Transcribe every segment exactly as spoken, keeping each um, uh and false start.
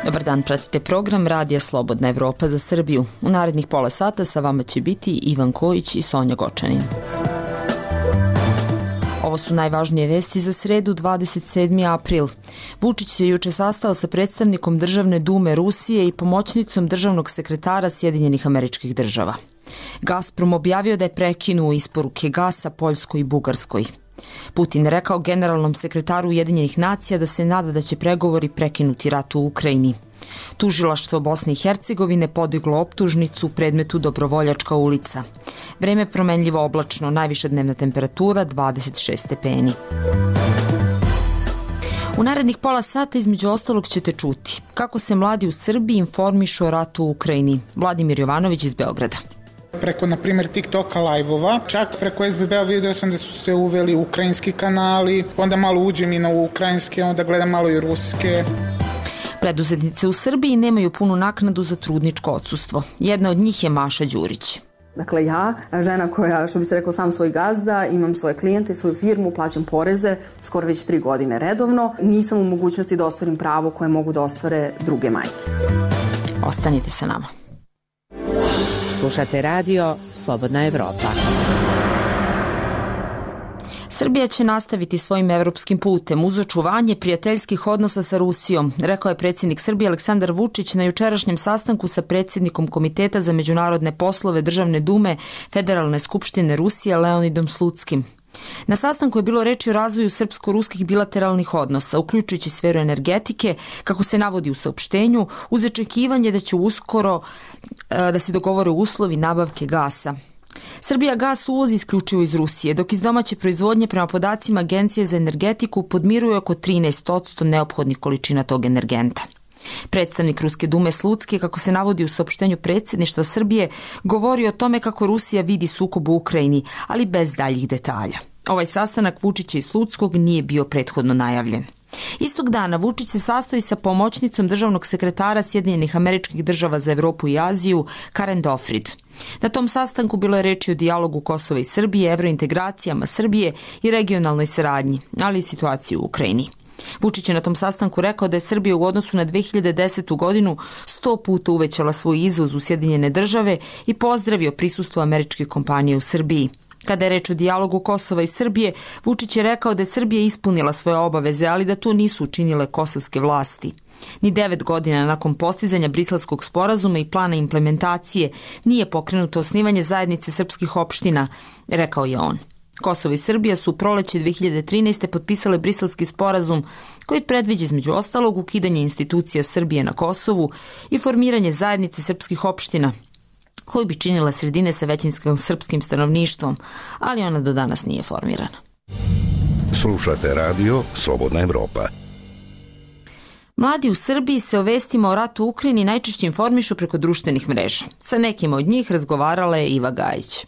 Dobar dan, pratite program Radija Slobodna Evropa za Srbiju. U narednih pola sata sa vama će biti Ivan Kojić i Sonja Gočanin. Ovo su najvažnije vesti za sredu, dvadeset sedmi april. Vučić se juče sastao sa predstavnikom Državne dume Rusije i pomoćnicom državnog sekretara Sjedinjenih Američkih Država. Gazprom objavio da je prekinuo isporuke gasa Poljskoj i Bugarskoj. Putin rekao generalnom sekretaru Ujedinjenih nacija da se nada da će pregovori prekinuti rat u Ukrajini. Tužilaštvo Bosne i Hercegovine podiglo optužnicu u predmetu Dobrovoljačka ulica. Vreme promenljivo oblačno, najviša dnevna temperatura dvadeset šest stepeni. U narednih pola sata između ostalog ćete čuti kako se mladi u Srbiji informišu o ratu u Ukrajini. Vladimir Jovanović iz Beograda. Preko, na primjer, TikToka live-ova, čak preko es be be-a vidio sam da su se uveli ukrajinski kanali, onda malo uđem i na ukrajinske, onda gledam malo i ruske. Preduzetnice u Srbiji nemaju punu naknadu za trudničko odsustvo. Jedna od njih je Maša Đurić. Dakle, ja, žena koja, što bi se rekao, sam svoj gazda, imam svoje klijente, svoju firmu, plaćam poreze, skoro već tri godine redovno, nisam u mogućnosti da ostvarim pravo koje mogu da ostvare druge majke. Ostanite sa nama. Slušate radio Slobodna Evropa. Srbija će nastaviti svojim evropskim putem uz očuvanje prijateljskih odnosa sa Rusijom, rekao je predsjednik Srbije Aleksandar Vučić na jučerašnjem sastanku sa predsjednikom Komiteta za međunarodne poslove Državne dume Federalne skupštine Rusije Leonidom Slutskim. Na sastanku je bilo reči o razvoju srpsko-ruskih bilateralnih odnosa, uključujući sferu energetike, kako se navodi u saopštenju, uz očekivanje da će uskoro da se dogovore uslovi nabavke gasa. Srbija gas uvozi isključivo iz Rusije, dok iz domaće proizvodnje prema podacima Agencije za energetiku podmiruje oko trinaest posto neophodnih količina tog energenta. Predstavnik Ruske dume Slutski, kako se navodi u saopštenju predsjedništva Srbije, govori o tome kako Rusija vidi sukob u Ukrajini, ali bez daljih detalja. Ovaj sastanak Vučića i Slutskog nije bio prethodno najavljen. Istog dana Vučić se sastoji sa pomoćnicom državnog sekretara Sjedinjenih Američkih Država za Evropu i Aziju Karen Dofrid. Na tom sastanku bilo je reči o dijalogu Kosova i Srbije, evrointegracijama Srbije i regionalnoj saradnji, ali i situaciji u Ukrajini. Vučić je na tom sastanku rekao da je Srbija u odnosu na dve hiljade desetu godinu sto puta uvećala svoj izvoz u Sjedinjene Države i pozdravio prisustvo američkih kompanija u Srbiji. Kada je reč o dijalogu Kosova i Srbije, Vučić je rekao da je Srbija ispunila svoje obaveze, ali da to nisu učinile kosovske vlasti. Ni devet godina nakon postizanja Briselskog sporazuma i plana implementacije nije pokrenuto osnivanje zajednice srpskih opština, rekao je on. Kosovo i Srbija su u proleće dve hiljade trinaeste. potpisale Briselski sporazum koji predviđa između ostalog ukidanje institucija Srbije na Kosovu i formiranje zajednice srpskih opština, koju bi činila sredine sa većinskim srpskim stanovništvom, ali ona do danas nije formirana. Slušate radio Slobodna Evropa. Mladi u Srbiji se o vestima o ratu u Ukrajini najčešće informišu preko društvenih mreža. Sa nekima od njih razgovarala je Iva Gajić.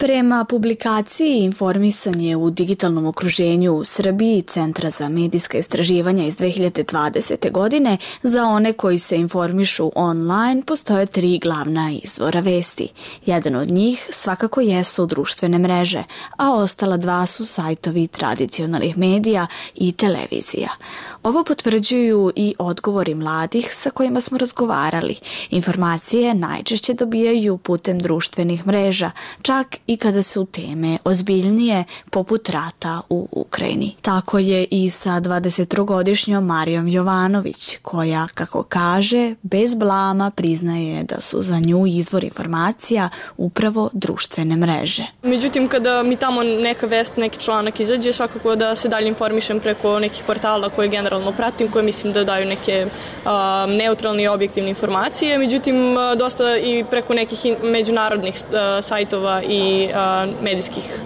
Prema publikaciji Informisanje u digitalnom okruženju u Srbiji Centra za medijska istraživanja iz dve hiljade dvadesete. godine, za one koji se informišu online postoje tri glavna izvora vesti. Jedan od njih svakako jesu društvene mreže, a ostala dva su sajtovi tradicionalnih medija i televizija. Ovo potvrđuju i odgovori mladih sa kojima smo razgovarali. Informacije najčešće dobijaju putem društvenih mreža, čak i kada su teme ozbiljnije, poput rata u Ukrajini. Tako je i sa dvadesettrogodišnjom Marijom Jovanović, koja, kako kaže, bez blama priznaje da su za nju izvor informacija upravo društvene mreže. Međutim, kada mi tamo neka vest, neki članak izađe, svakako da se dalje informišem preko nekih portala koje generalno pratim, koje mislim da daju neke a, neutralne i objektivne informacije. Međutim, a, dosta i preko nekih međunarodnih a, sajtova i a, medijskih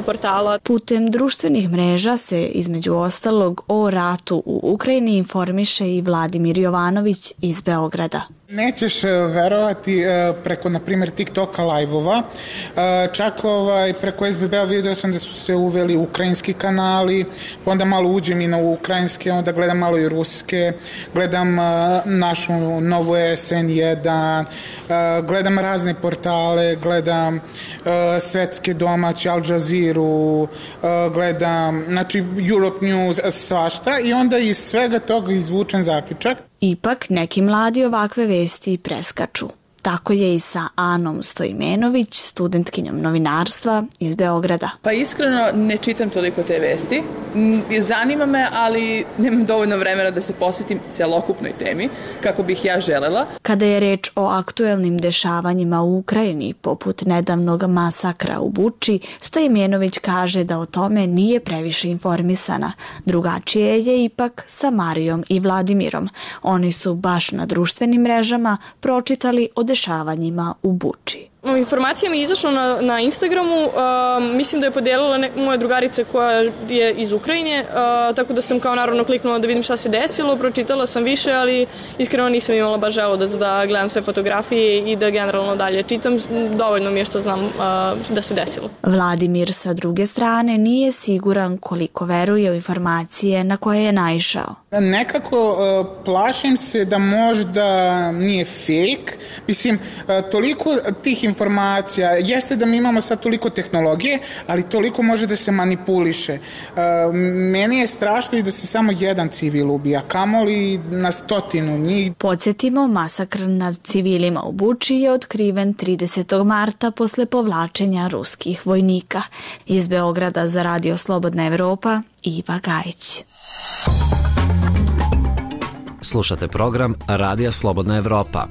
portala. Putem društvenih mreža se između ostalog o ratu u Ukrajini informiše i Vladimir Jovanović iz Beograda. Nećeš verovati, preko, na primjer, TikToka live-ova, čak ovaj, preko es be be-a vidio sam da su se uveli ukrajinski kanali, onda malo uđem i na ukrajinske, onda gledam malo i ruske, gledam našu novu es en jedan, gledam razne portale, gledam svetske domaće, Al Jazeera, gledam, znači Europe News, svašta, i onda iz svega toga izvučen zaključak Ipak, neki mladi ovakve vesti preskaču. Tako je i sa Anom Stojmenović, studentkinjom novinarstva iz Beograda. Pa iskreno ne čitam toliko te vesti. Zanima me, ali nemam dovoljno vremena da se posvetim celokupnoj temi, kako bih ja želela. Kada je reč o aktuelnim dešavanjima u Ukrajini, poput nedavnog masakra u Buči, Stojmenović kaže da o tome nije previše informisana. Drugačije je ipak sa Marijom i Vladimirom. Oni su baš na društvenim mrežama pročitali o dešavanjima u Buči. Informacija mi je izašla na, na Instagramu, uh, mislim da je podijelila ne, moja drugarica koja je iz Ukrajine, uh, tako da sam kao naravno kliknula da vidim šta se desilo, pročitala sam više, ali iskreno nisam imala baš želju da, da gledam sve fotografije i da generalno dalje čitam, dovoljno mi je što znam uh, da se desilo. Vladimir sa druge strane nije siguran koliko veruje u informacije na koje je naišao. Nekako uh, plašim se da možda nije fake, mislim uh, toliko tih informacija, jeste da mi imamo sad toliko tehnologije, ali toliko može da se manipuliše. Uh, meni je strašno i da se samo jedan civil ubija, kamoli na stotinu njih. Podsjetimo, masakr nad civilima u Buči je otkriven tridesetog marta posle povlačenja ruskih vojnika. Iz Beograda za Radio Slobodna Evropa, Iva Gajić. Slušate program Radija Slobodna Evropa.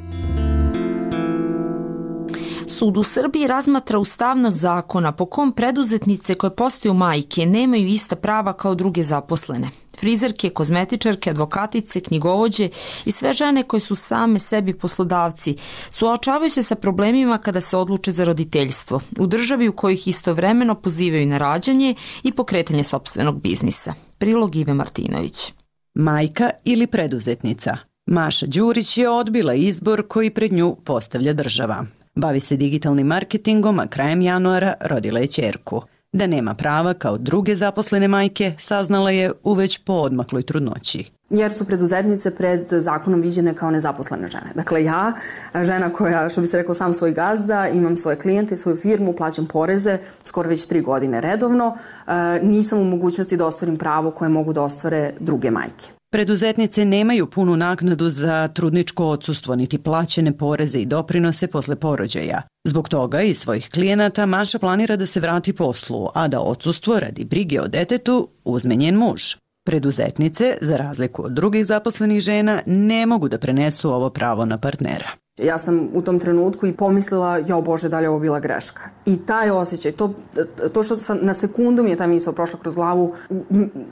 Sud u Srbiji razmatra ustavnost zakona po kom preduzetnice koje postaju majke nemaju ista prava kao druge zaposlene. Frizerke, kozmetičarke, advokatice, knjigovođe i sve žene koje su same sebi poslodavci suočavaju se sa problemima kada se odluče za roditeljstvo u državi u kojih istovremeno pozivaju na rađanje i pokretanje sopstvenog biznisa. Prilog Ive Martinović. Majka ili preduzetnica? Maša Đurić je odbila izbor koji pred nju postavlja država. Bavi se digitalnim marketingom, a krajem januara rodila je ćerku. Da nema prava kao druge zaposlene majke, saznala je u već poodmakloj trudnoći. Jer su preduzetnice pred zakonom viđene kao nezaposlene žene. Dakle, ja, žena koja, što bi se reklo, sam svoj gazda, imam svoje klijente, svoju firmu, plaćam poreze, skoro već tri godine redovno, nisam u mogućnosti da ostvarim pravo koje mogu da ostvare druge majke. Preduzetnice nemaju punu naknadu za trudničko odsustvo niti plaćene poreze i doprinose posle porođaja. Zbog toga i svojih klijenata Maša planira da se vrati poslu, a da odsustvo radi brige o detetu uzme njen muž. Preduzetnice, za razliku od drugih zaposlenih žena, ne mogu da prenesu ovo pravo na partnera. Ja sam u tom trenutku i pomislila, jao Bože, da li je ovo bila greška. I taj osjećaj, to, to što sam na sekundu mi je ta misao prošla kroz glavu,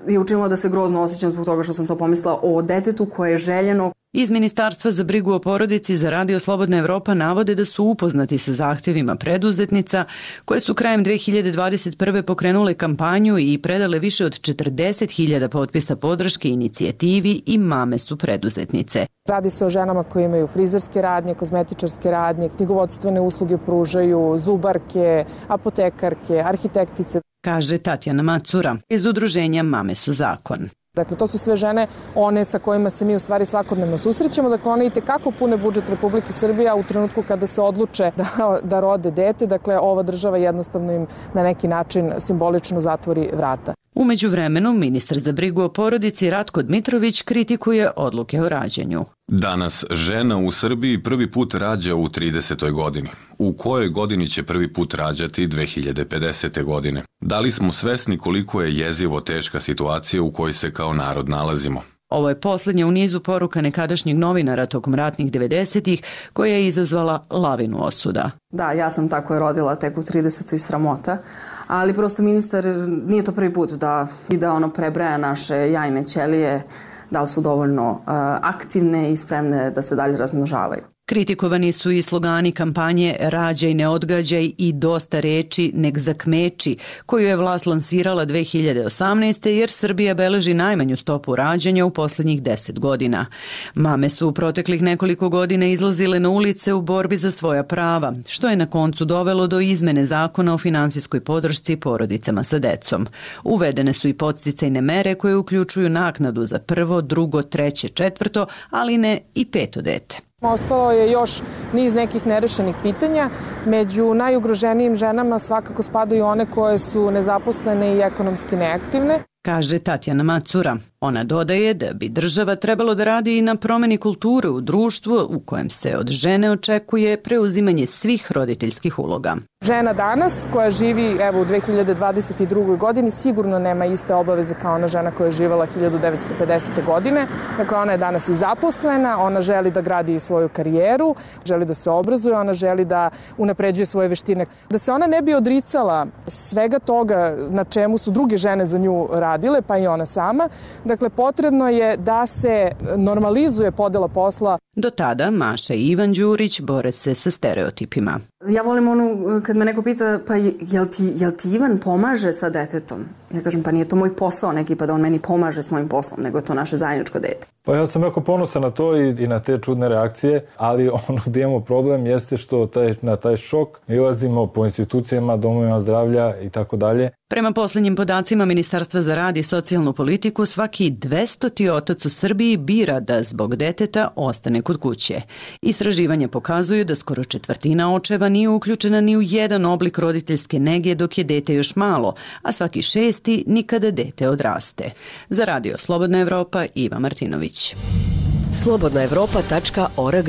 je učinilo da se grozno osjećam zbog toga što sam to pomislila o detetu koje je željeno. Iz Ministarstva za brigu o porodici za Radio Slobodna Evropa navode da su upoznati sa zahtjevima preduzetnica koje su krajem dve hiljade dvadeset prve pokrenule kampanju i predale više od četrdeset hiljada potpisa podrške inicijativi i Mame su preduzetnice. Radi se o ženama koje imaju frizerske radnje, kozmetičarske radnje, knjigovodstvene usluge pružaju, zubarke, apotekarke, arhitektice. Kaže Tatjana Macura iz udruženja Mame su zakon. Dakle, to su sve žene, one sa kojima se mi u stvari svakodnevno susrećemo. Dakle, one i tekako pune budžet Republike Srbije, a u trenutku kada se odluče da, da rode dete, dakle, ova država jednostavno im na neki način simbolično zatvori vrata. U međuvremenu, ministar za brigu o porodici Ratko Dmitrović kritikuje odluke o rađanju. Danas žena u Srbiji prvi put rađa u tridesetoj godini. U kojoj godini će prvi put rađati dve hiljade pedesete. godine? Da li smo svesni koliko je jezivo teška situacija u kojoj se kao narod nalazimo? Ovo je posljednja u nizu poruka nekadašnjeg novinara tokom ratnih devedesetih koja je izazvala lavinu osuda. Da, ja sam tako je rodila tek u tridesetoj sramota, ali prosto ministar nije to prvi put da, da ono prebraja naše jajne ćelije, da li su dovoljno uh, aktivne i spremne da se dalje razmnožavaju. Kritikovani su i slogani kampanje Rađaj, ne odgađaj i Dosta reči, nek zakmeči, koju je vlast lansirala dve hiljade osamnaeste. jer Srbija beleži najmanju stopu rađanja u posljednjih deset godina. Mame su u proteklih nekoliko godina izlazile na ulice u borbi za svoja prava, što je na koncu dovelo do izmene zakona o finansijskoj podršci porodicama sa decom. Uvedene su i podsticajne mere koje uključuju naknadu za prvo, drugo, treće, četvrto, ali ne i peto dete. Ostalo je još niz nekih nerešenih pitanja. Među najugroženijim ženama svakako spadaju one koje su nezaposlene i ekonomski neaktivne. kaže Tatjana Macura. Ona dodaje da bi država trebalo da radi i na promeni kulture u društvu u kojem se od žene očekuje preuzimanje svih roditeljskih uloga. Žena danas koja živi evo u dve hiljade dvadeset drugoj godini sigurno nema iste obaveze kao ona žena koja je živela hiljadu devetsto pedesete. godine. Dakle, ona je danas i zaposlena, ona želi da gradi i svoju karijeru, želi da se obrazuje, ona želi da unapređuje svoje veštine. Da se ona ne bi odricala svega toga na čemu su druge žene za nju radile, pa i ona sama, dakle, potrebno je da se normalizuje podela posla. Do tada Maša i Ivan Đurić bore se sa stereotipima. Ja volim onu, kad me neko pita, pa jel ti, jel ti Ivan pomaže sa detetom? Ja kažem, pa nije to moj posao neki, pa da on meni pomaže s mojim poslom, nego je to naše zajedničko dete. Pa ja sam jako ponosan na to i, i na te čudne reakcije, ali ono gdje imamo problem jeste što taj, na taj šok ilazimo po institucijama, domovima zdravlja i tako dalje. Prema posljednjim podacima Ministarstva za rad i socijalnu politiku, svaki dvestoti otac u Srbiji bira da zbog deteta ostane kod kuće. Istraživanja pokazuju da skoro četvrtina očeva nije uključena ni u jedan oblik roditeljske nege dok je dete još malo, a svaki šesti nikada dete odraste. Za Radio Slobodna Evropa, Iva Martinović. slobodna evropa tačka org.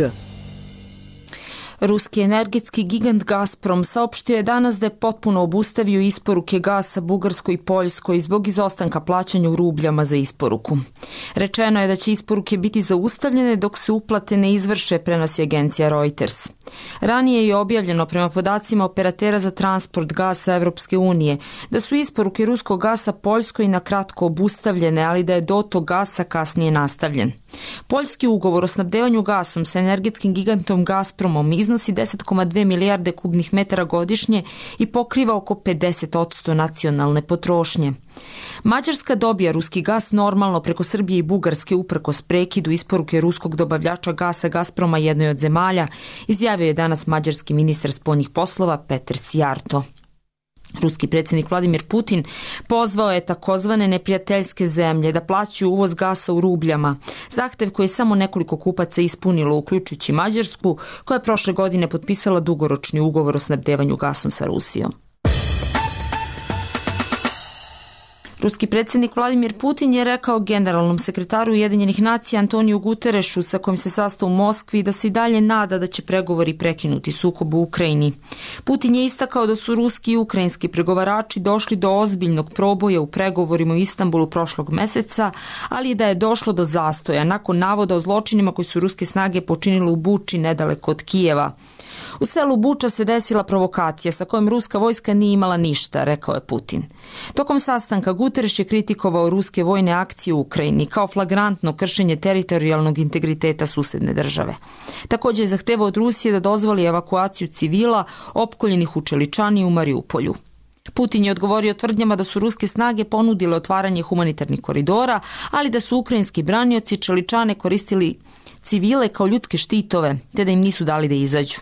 Ruski energetski gigant Gazprom saopštio je danas da je potpuno obustavio isporuke gasa Bugarskoj i Poljskoj zbog izostanka plaćanja u rubljama za isporuku. Rečeno je da će isporuke biti zaustavljene dok se uplate ne izvrše, prenosi agencija Reuters. Ranije je objavljeno prema podacima operatera za transport gasa Evropske unije da su isporuke ruskog gasa Poljskoj na kratko obustavljene, ali da je dotok gasa kasnije nastavljen. Poljski ugovor o snabdevanju gasom sa energetskim gigantom Gazpromom iznosi deset zarez dve milijarde kubnih metara godišnje i pokriva oko pedeset posto nacionalne potrošnje. Mađarska dobija ruski gas normalno preko Srbije i Bugarske uprkos prekidu isporuke ruskog dobavljača gasa Gazproma jednoj od zemalja, izjavio je danas mađarski ministar spoljnih poslova Peter Sijarto. Ruski predsjednik Vladimir Putin pozvao je takozvane neprijateljske zemlje da plaćaju uvoz gasa u rubljama, zahtev koji je samo nekoliko kupaca ispunilo, uključujući Mađarsku, koja je prošle godine potpisala dugoročni ugovor o snabdevanju gasom sa Rusijom. Ruski predsjednik Vladimir Putin je rekao generalnom sekretaru Ujedinjenih nacija Antoniju Guterešu, sa kojim se sastao u Moskvi, da se i dalje nada da će pregovori prekinuti sukob u Ukrajini. Putin je istakao da su ruski i ukrajinski pregovarači došli do ozbiljnog proboja u pregovorima u Istanbulu prošlog meseca, ali da je došlo do zastoja nakon navoda o zločinima koji su ruske snage počinile u Buči nedaleko od Kijeva. U selu Buča se desila provokacija sa kojom ruska vojska nije imala ništa, rekao je Putin. Tokom sastanka Guterres je kritikovao ruske vojne akcije u Ukrajini kao flagrantno kršenje teritorijalnog integriteta susedne države. Također je zahtevao od Rusije da dozvoli evakuaciju civila opkoljenih u Čeličani i u Mariupolju. Putin je odgovorio tvrdnjama da su ruske snage ponudile otvaranje humanitarnih koridora, ali da su ukrajinski branioci Čeličane koristili civile kao ljudske štitove, te da im nisu dali da izađu.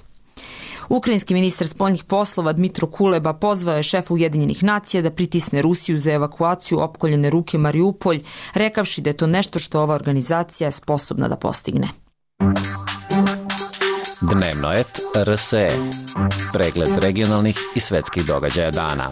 Ukrajinski ministar spoljnih poslova Dmitro Kuleba pozvao je šefa Ujedinjenih nacija da pritisne Rusiju za evakuaciju opkoljene ruke Mariupolj, rekavši da je to nešto što ova organizacija je sposobna da postigne. Dnevno et R S E. Pregled regionalnih i svetskih događaja dana.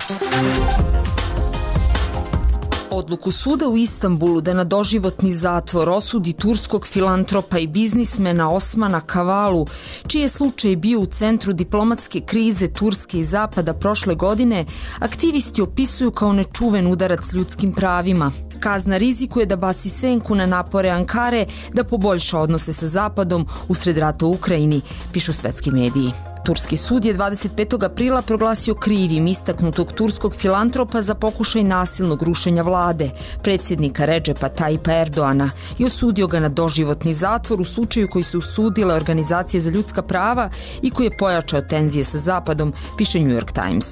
Odluku suda u Istanbulu da na doživotni zatvor osudi turskog filantropa i biznismena Osmana Kavalu, čiji je slučaj bio u centru diplomatske krize Turske i Zapada prošle godine, aktivisti opisuju kao nečuven udarac ljudskim pravima. Kazna rizikuje da baci senku na napore Ankare da poboljša odnose sa Zapadom usred rata u Ukrajini, pišu svetski mediji. Turski sud je dvadeset petog aprila proglasio krivim istaknutog turskog filantropa za pokušaj nasilnog rušenja vlade, predsjednika Redžepa Tajipa Erdoana, i osudio ga na doživotni zatvor u slučaju koji su usudile organizacije za ljudska prava i koji je pojačao tenzije sa Zapadom, piše New York Times.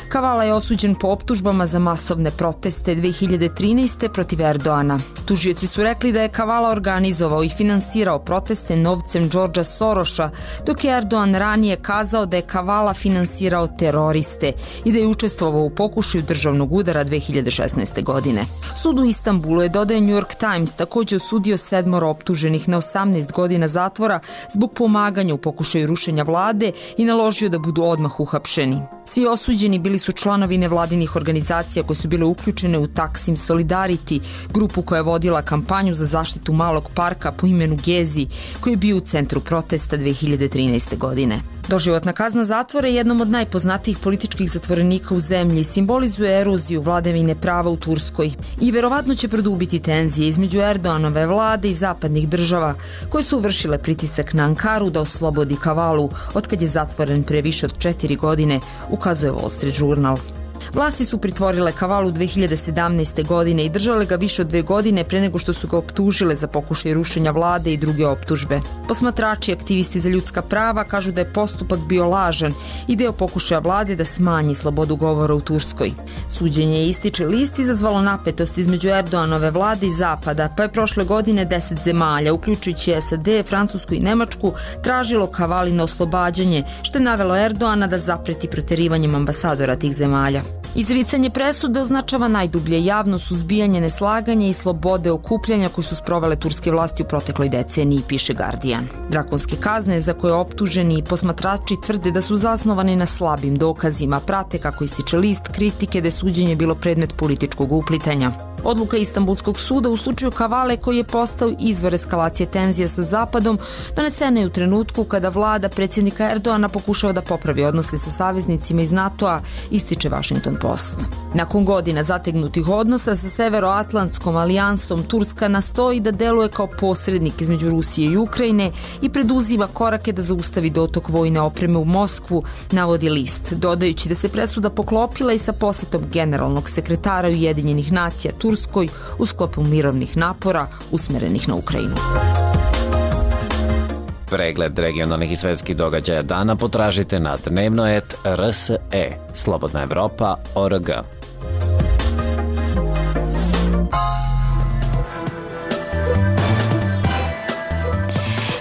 Kavala je osuđen po optužbama za masovne proteste dve hiljade trinaeste. protiv Erdoana. Tužioci su rekli da je Kavala organizovao i finansirao proteste novcem Đorđa Soroša, dok je Erdoan ranije kazao da je Kavala finansirao teroriste i da je učestvovao u pokušaju državnog udara dve hiljade šesnaeste. godine. Sud u Istanbulu je, dodaje New York Times, također osudio sedmoro optuženih na osamnaest godina zatvora zbog pomaganja u pokušaju rušenja vlade i naložio da budu odmah uhapšeni. Svi osuđeni bili su članovi nevladinih organizacija koje su bile uključene u Taksim Solidarity, grupu koja je vodila kampanju za zaštitu malog parka po imenu Gezi, koji je bio u centru protesta dve hiljade trinaeste. godine. Doživotna kazna zatvora je jednom od najpoznatijih političkih zatvorenika u zemlji, simbolizuje eroziju vladavine prava u Turskoj i verovatno će produbiti tenzije između Erdoganove vlade i zapadnih država koje su vršile pritisak na Ankaru da oslobodi Kavalu otkad je zatvoren pre više od četiri godine, ukazuje Wall Street Journal. Vlasti su pritvorile Kavalu dve hiljade sedamnaeste. godine i držale ga više od dve godine pre nego što su ga optužile za pokušaj rušenja vlade i druge optužbe. Posmatrači i aktivisti za ljudska prava kažu da je postupak bio lažan i deo pokušaja vlade da smanji slobodu govora u Turskoj. Suđenje ističe list izazvalo napetost između Erdoganove vlade i Zapada, pa je prošle godine deset zemalja, uključujući S A D, Francusku i Nemačku, tražilo Kavalino oslobađanje, što je navelo Erdogana da zapreti proterivanjem ambasadora tih zemalja. Izricanje presude označava najdublje javno suzbijanje neslaganja i slobode okupljanja koje su sprovele turske vlasti u protekloj deceniji, piše Guardian. Drakonske kazne za koje optuženi i posmatrači tvrde da su zasnovane na slabim dokazima, prate, kako ističe list, kritike da je suđenje bilo predmet političkog uplitanja. Odluka Istanbulskog suda u slučaju Kavale, koji je postao izvor eskalacije tenzija sa Zapadom, donesena je u trenutku kada vlada predsjednika Erdogana pokušava da popravi odnose sa saveznicima iz NATO-a, ističe Washington Post. Nakon godina zategnutih odnosa sa Severoatlantskom alijansom, Turska nastoji da deluje kao posrednik između Rusije i Ukrajine i preduzima korake da zaustavi dotok vojne opreme u Moskvu, navodi list, dodajući da se presuda poklopila i sa posetom generalnog sekretara Ujedinjenih nacija Turskoj u sklopu mirovnih napora usmerenih na Ukrajinu. Pregled regionalnih i svetskih događaja dana potražite na dnevno et R S E, Slobodna Evropa, O R G.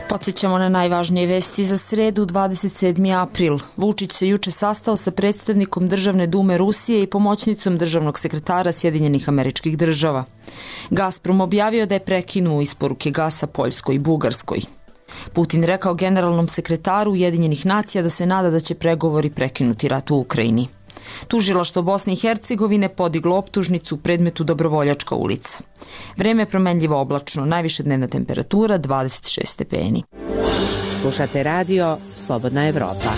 Podsjećamo na najvažnije vesti za sredu, dvadeset sedmi april. Vučić se juče sastao sa predstavnikom Državne dume Rusije i pomoćnicom državnog sekretara Sjedinjenih Američkih Država. Gazprom objavio da je prekinuo isporuke gasa Poljskoj i Bugarskoj. Putin rekao generalnom sekretaru Ujedinjenih nacija da se nada da će pregovori prekinuti rat u Ukrajini. Tužilaštvo Bosne i Hercegovine podiglo optužnicu u predmetu Dobrovoljačka ulica. Vreme je promenljivo oblačno, najviše dnevna temperatura dvadeset šest stepeni. Slušate radio Slobodna Evropa.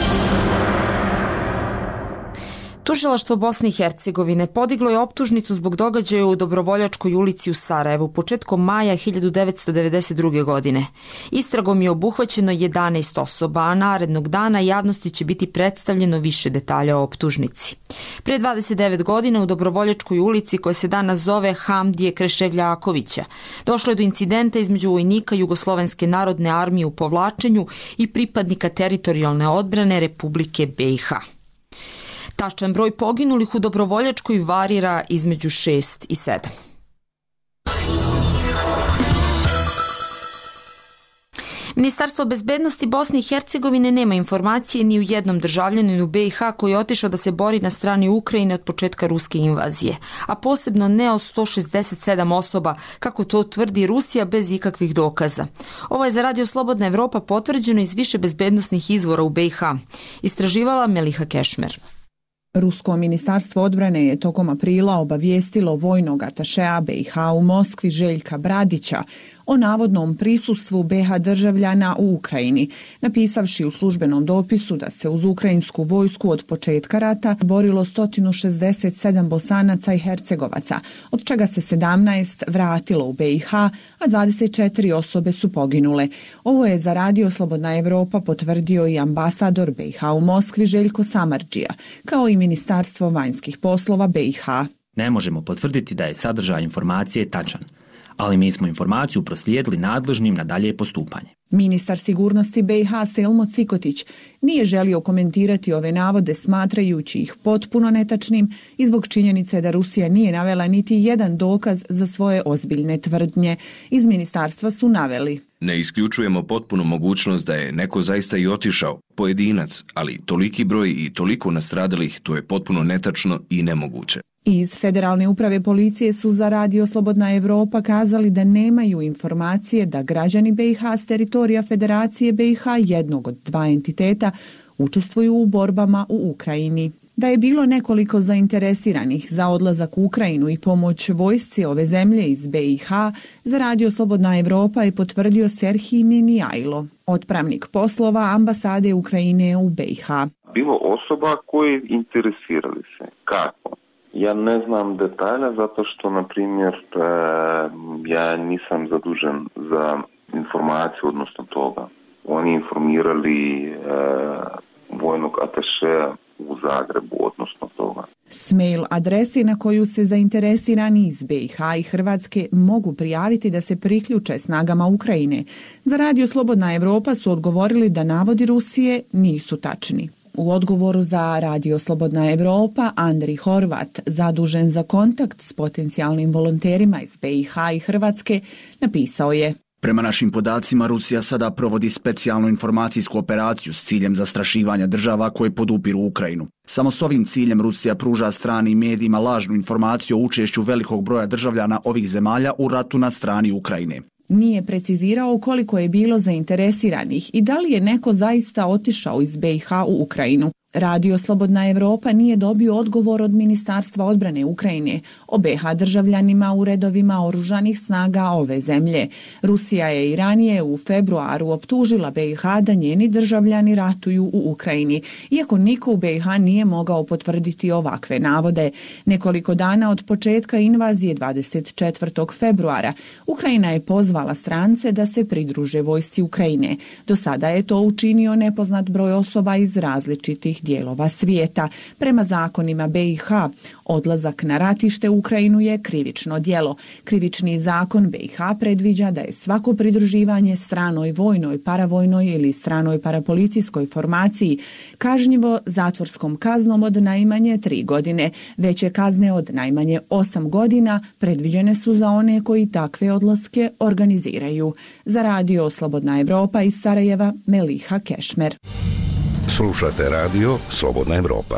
Tužilaštvo Bosne i Hercegovine podiglo je optužnicu zbog događaja u Dobrovoljačkoj ulici u Sarajevu početkom maja hiljadu devetsto devedeset druge. godine. Istragom je obuhvaćeno jedanaest osoba, a narednog dana javnosti će biti predstavljeno više detalja o optužnici. Pre dvadeset devet godina u Dobrovoljačkoj ulici, koja se danas zove Hamdije Kreševljakovića, došlo je do incidenta između vojnika Jugoslovenske narodne armije u povlačenju i pripadnika teritorijalne odbrane Republike B i H. Tačan broj poginulih u Dobrovoljačkoj varira između šest i sedam. Ministarstvo bezbednosti Bosne i Hercegovine nema informacije ni u jednom državljaninu B i H koji je otišao da se bori na strani Ukrajine od početka ruske invazije, a posebno ne o sto šezdeset sedam osoba, kako to tvrdi Rusija bez ikakvih dokaza. Ovo je za Radio Slobodna Evropa potvrđeno iz više bezbednosnih izvora u B i H. Istraživala Meliha Kešmer. Rusko ministarstvo odbrane je tokom aprila obavijestilo vojnog atašea B i H u Moskvi Željka Bradića o navodnom prisustvu B i H državljana u Ukrajini, napisavši u službenom dopisu da se uz ukrajinsku vojsku od početka rata borilo sto šezdeset sedam Bosanaca i Hercegovaca, od čega se sedamnaest vratilo u B i H, a dvadeset četiri osobe su poginule. Ovo je za Radio Slobodna Evropa potvrdio i ambasador B i H u Moskvi Željko Samardžija, kao i Ministarstvo vanjskih poslova B i H. Ne možemo potvrditi da je sadržaj informacije tačan, ali mi smo informaciju proslijedili nadležnim na dalje postupanje. Ministar sigurnosti B i H Selmo Cikotić nije želio komentirati ove navode, smatrajući ih potpuno netačnim i zbog činjenice da Rusija nije navela niti jedan dokaz za svoje ozbiljne tvrdnje. Iz ministarstva su naveli: ne isključujemo potpunu mogućnost da je neko zaista i otišao, pojedinac, ali toliki broj i toliko nastradalih, to je potpuno netačno i nemoguće. Iz Federalne uprave policije su za Radio Slobodna Evropa kazali da nemaju informacije da građani B i H s teritorija Federacije B i H, jednog od dva entiteta, učestvuju u borbama u Ukrajini. Da je bilo nekoliko zainteresiranih za odlazak u Ukrajinu i pomoć vojsci ove zemlje iz B i H, za Radio Slobodna Evropa je potvrdio Serhij Minijajlo, otpravnik poslova ambasade Ukrajine u B i H. Bilo osoba koji interesirali se. Kako? Ja ne znam detalje zato što, na primjer, ja nisam zadužen za informaciju odnosno toga. Oni informirali vojnog atašeja u Zagrebu odnosno toga. S mail adresi na koju se zainteresirani iz B i H i Hrvatske mogu prijaviti da se priključe snagama Ukrajine. Za Radio Slobodna Evropa su odgovorili da navodi Rusije nisu tačni. U odgovoru za Radio Slobodna Evropa Andri Horvat, zadužen za kontakt s potencijalnim volonterima iz B i H i Hrvatske, napisao je: Prema našim podacima, Rusija sada provodi specijalnu informacijsku operaciju s ciljem zastrašivanja država koje podupiru Ukrajinu. Samo s ovim ciljem Rusija pruža stranim medijima lažnu informaciju o učešću velikog broja državljana ovih zemalja u ratu na strani Ukrajine. Nije precizirao koliko je bilo zainteresiranih i da li je neko zaista otišao iz B i H u Ukrajinu. Radio Slobodna Evropa nije dobio odgovor od Ministarstva odbrane Ukrajine o B i H državljanima u redovima oružanih snaga ove zemlje. Rusija je i ranije u februaru optužila B i H da njeni državljani ratuju u Ukrajini, iako niko u B i H nije mogao potvrditi ovakve navode. Nekoliko dana od početka invazije dvadeset četvrtog februara Ukrajina je pozvala strance da se pridruže vojsci Ukrajine. Do sada je to učinio nepoznat broj osoba iz različitih dijelova svijeta. Prema zakonima B i H, odlazak na ratište u Ukrajinu je krivično djelo. Krivični zakon B i H predviđa da je svako pridruživanje stranoj vojnoj, paravojnoj ili stranoj parapolicijskoj formaciji kažnjivo zatvorskom kaznom od najmanje tri godine. Veće kazne od najmanje osam godina predviđene su za one koji takve odlaske organiziraju. Za Radio Slobodna Evropa iz Sarajeva, Meliha Kešmer. Slušate Radio Slobodna Evropa.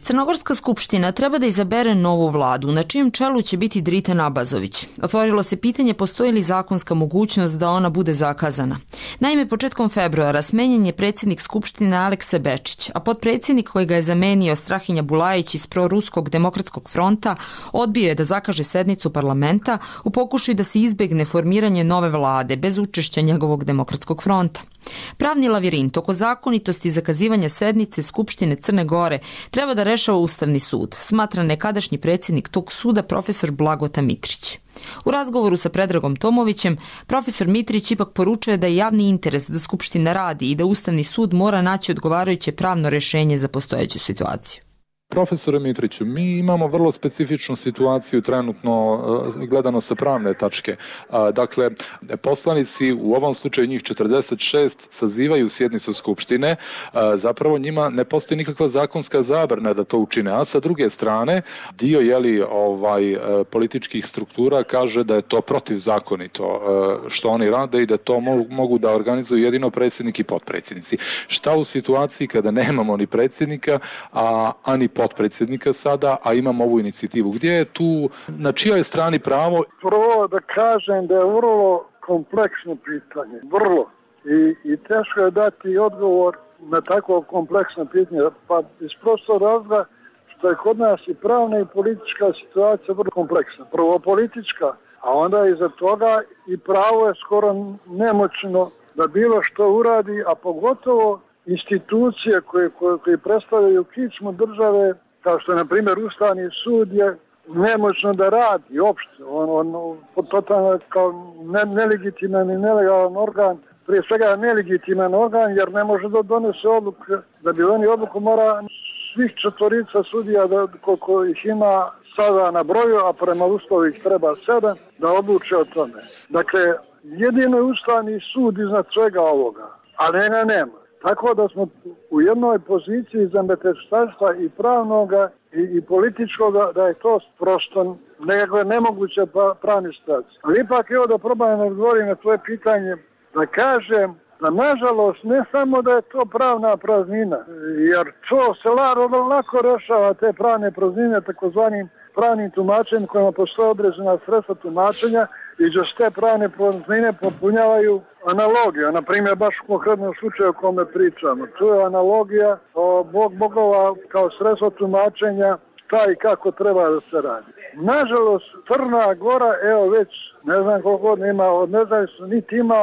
Crnogorska skupština treba da izabere novu vladu, na čijem čelu će biti Dritan Abazović. Otvorilo se pitanje postoji li zakonska mogućnost da ona bude zakazana. Naime, početkom februara smenjen je predsjednik skupštine Aleksa Bečić, a potpredsjednik koji ga je zamenio Strahinja Bulajić iz proruskog demokratskog fronta odbio je da zakaže sednicu parlamenta u pokušaju da se izbegne formiranje nove vlade bez učešća njegovog demokratskog fronta. Pravni lavirint oko zakonitosti zakazivanja sednice Skupštine Crne Gore treba da rešava Ustavni sud, smatra nekadašnji predsjednik tog suda profesor Blagota Mitrić. U razgovoru sa Predragom Tomovićem, profesor Mitrić ipak poručuje da je javni interes da Skupština radi i da Ustavni sud mora naći odgovarajuće pravno rješenje za postojeću situaciju. Profesore Mitriću, mi imamo vrlo specifičnu situaciju trenutno gledano sa pravne tačke. Dakle, poslanici, u ovom slučaju njih četrdeset šest, sazivaju sjednicu Skupštine, zapravo njima ne postoji nikakva zakonska zabrana da to učine, a sa druge strane dio jeli, ovaj, političkih struktura kaže da je to protivzakonito što oni rade i da to mogu da organizuju jedino predsjednik i potpredsjednici. Šta u situaciji kada nemamo ni predsjednika, a ani potpredsjednika sada, a imamo ovu inicijativu? Gdje je tu, na čijoj strani pravo? Prvo da kažem da je vrlo kompleksno pitanje, vrlo. I, i teško je dati odgovor na tako kompleksno pitanje, pa iz prostog razloga što je kod nas i pravna i politička situacija vrlo kompleksna. Prvo politička, a onda iza toga i pravo je skoro nemoćno da bilo što uradi, a pogotovo institucije koje, koje, koje predstavljaju kičmu države, kao što je, na primjer, Ustavni sud je nemoćno da radi uopšte. On, on totalno kao ne, nelegitiman i nelegalan organ, prije svega nelegitiman organ, jer ne može da donese odluku. Da bi oni odluku mora svih četvorica sudija, da, koliko ih ima sada na broju, a prema Ustavu ih treba sedam, da odluče o tome. Dakle, jedino je Ustavni sud iznad svega ovoga, a ne, ne, nema. Tako da smo u jednoj poziciji zameteštavstva i pravnoga i, i političkoga, da je to prosto nekako nemoguće pravni situacija. Ali ipak evo da probam da odgovorim na tvoje pitanje, da kažem da nažalost ne samo da je to pravna praznina, jer to se lako rešava te pravne praznine takozvanim pravnim tumačenjem kojima postoje određena sredstva tumačenja, i da se te pravne praznine popunjavaju analogija. Na primjer, baš u konkretnom slučaju o kome pričamo. Tu je analogija o bog bogova kao sredstvo tumačenja šta i kako treba da se radi. Nažalost, Crna Gora, evo već ne znam koliko god nema, od nezavisno niti ima,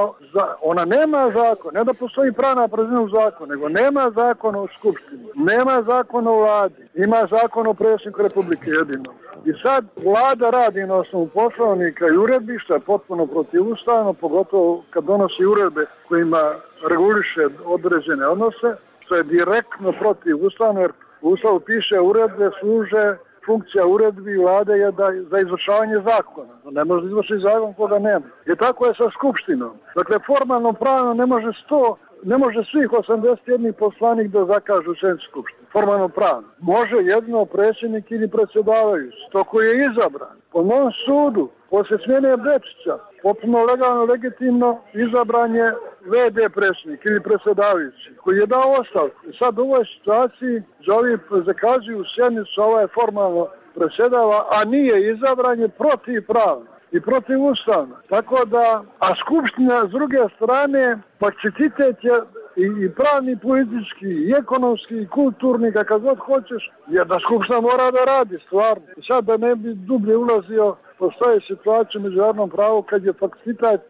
ona nema zakon, ne da postoji pravna praznina u zakonu, nego nema zakon o skupštini, nema zakon o vladi, ima zakon o predsjedniku Republike jedino. I sad vlada radi na osnovu poslovnika i uredbi, što je potpuno protivustavno, pogotovo kad donosi uredbe kojima reguliše određene odnose, što je direktno protivustavno, jer u Ustavu piše uredbe služe, funkcija uredbi vlade je da za izvršavanje zakona. Ne može izvršiti zakon koga nema. I tako je sa skupštinom. Dakle, formalno pravno ne može sto, ne može svih osamdeset jedan poslanik da zakažu sjednicu skupštine. Formalno pravno. Može jedno predsjednik ili predsjedavajući. To koji je izabran. Po mom sudu, poslije smjene Bečića, potpuno legalno, legitimno izabran je ve de predsjednik ili predsjedavajući koji je dao ostavku. I sad u ovoj situaciji za ovi zakazuju sjednicu, ovo je formalno predsjedava, a nije izabran je protivpravno i protivustavno. Tako da, a skupština s druge strane, pacifitet je i, i pravni, politički, i ekonomski, i kulturni, kakav god hoćeš, jer da skupština mora da radi stvarno. I sad da ne bi dublje ulazio, postoje situacije u međunarodnom pravu kad je fakcitet,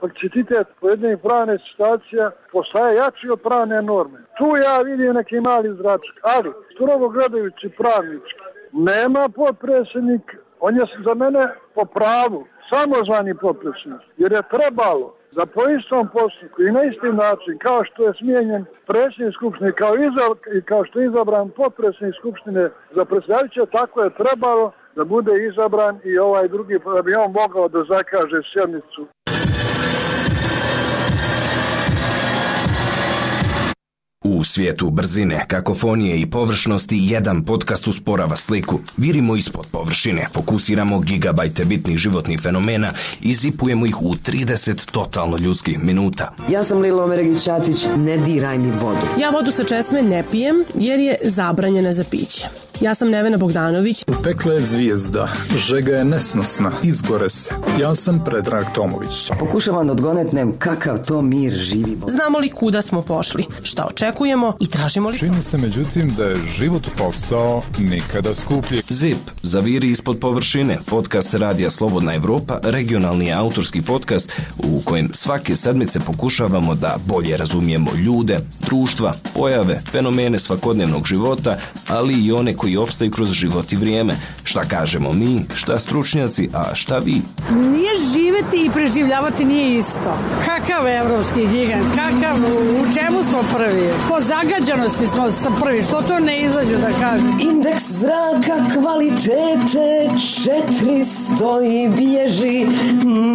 fakcitet pojedinih pravnih situacija postaje jači od pravne norme. Tu ja vidim neki mali zračak, ali strogo gledajući pravnički, nema potpredsjednik, on je za mene po pravu samozvani potpredsjednik, jer je trebalo da po istom postupku i na isti način kao što je smijenjen predsjednik skupštine kao i kao što je izabran potpredsjednik skupštine za predsjedavajuće, tako je trebalo da bude izabran i ovaj drugi, da bi on mogao da zakaže sjednicu. U svijetu brzine, kakofonije i površnosti jedan podcast usporava sliku. Virimo ispod površine, fokusiramo gigabajte bitnih životnih fenomena i zipujemo ih u trideset totalno ljudskih minuta. Ja sam Lilo Omeregić-Ćatić, ne diraj mi vodu. Ja vodu sa česme ne pijem jer je zabranjena za piće. Ja sam Nevena Bogdanović. U pekle je zvijezda, žega je nesnosna, izgore se. Ja sam Predrag Tomović. Pokušavam da odgonetnem kakav to mir živi. Znamo li kuda smo pošli, šta očekujemo i tražimo li... Čini se međutim da je život postao nikada skuplji. Zip, zaviri ispod površine, podcast Radija Slobodna Evropa, regionalni autorski podcast u kojem svake sedmice pokušavamo da bolje razumijemo ljude, društva, pojave, fenomene svakodnevnog života, ali i one koji koji opstaju kroz život i vrijeme. Šta kažemo mi, šta stručnjaci, a šta vi? Nije živeti i preživljavati nije isto. Kakav evropski gigant, kakav, u čemu smo prvi? Po zagađanosti smo prvi, što to ne izađu da kažem? Indeks zraka kvalitete četiristo i bježi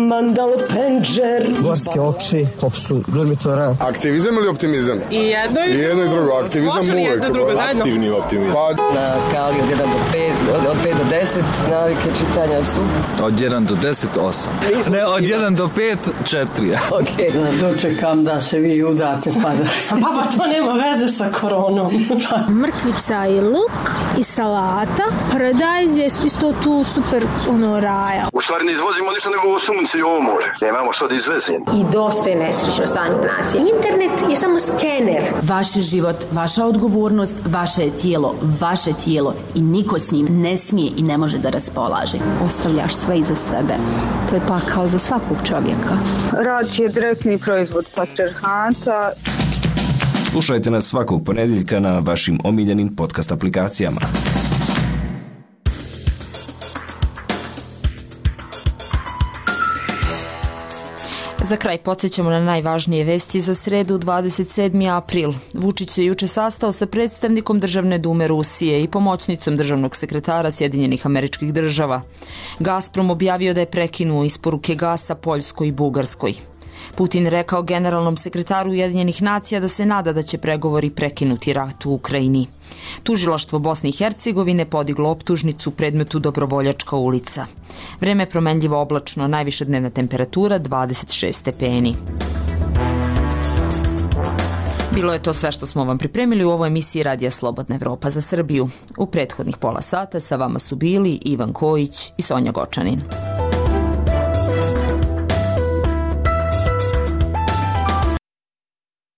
Mandal Penđer. Gorske oči, popsu Durmitora. Aktivizam ili optimizam? I jedno i, I jedno i drugo. Aktivizam može li jedno drugo zajedno? Aktivni optimizam. Pa, na skali od jedan do pet, od, od pet do deset navike čitanja su? Od jedan do deset, osam. Ne, od jedan do pet, četiri. Ok. Da dočekam da se vi udate pa da... Pa to nema veze sa koronom. Mrkvica i luk i salata. Paradajz je isto tu super ono raja. U stvari ne izvozimo ništa nego ovo sunce i ovo more. Nemamo što da izvezimo. I dosta je nesrećno stanje nacije. Internet je samo skener. Vaš život, vaša odgovornost, vaše je tijelo, vaše tijelo i niko s njim ne smije i ne može da raspolaže. Ostavljaš sve iza sebe. To je pakao za svakog čovjeka. Rad je direktni proizvod patrijarhata. Slušajte nas svakog ponedjeljka na vašim omiljenim podcast aplikacijama. Za kraj podsjećamo na najvažnije vesti za sredu dvadeset sedmi april. Vučić se juče sastao sa predstavnikom Državne dume Rusije i pomoćnicom državnog sekretara Sjedinjenih Američkih Država. Gazprom objavio da je prekinuo isporuke gasa Poljskoj i Bugarskoj. Putin rekao generalnom sekretaru Ujedinjenih nacija da se nada da će pregovori prekinuti rat u Ukrajini. Tužilaštvo Bosne i Hercegovine podiglo optužnicu u predmetu Dobrovoljačka ulica. Vreme je promenljivo oblačno, najviša dnevna temperatura dvadeset šest stepeni. Bilo je to sve što smo vam pripremili u ovoj emisiji Radija Slobodna Evropa za Srbiju. U prethodnih pola sata sa vama su bili Ivan Kojić i Sonja Gočanin.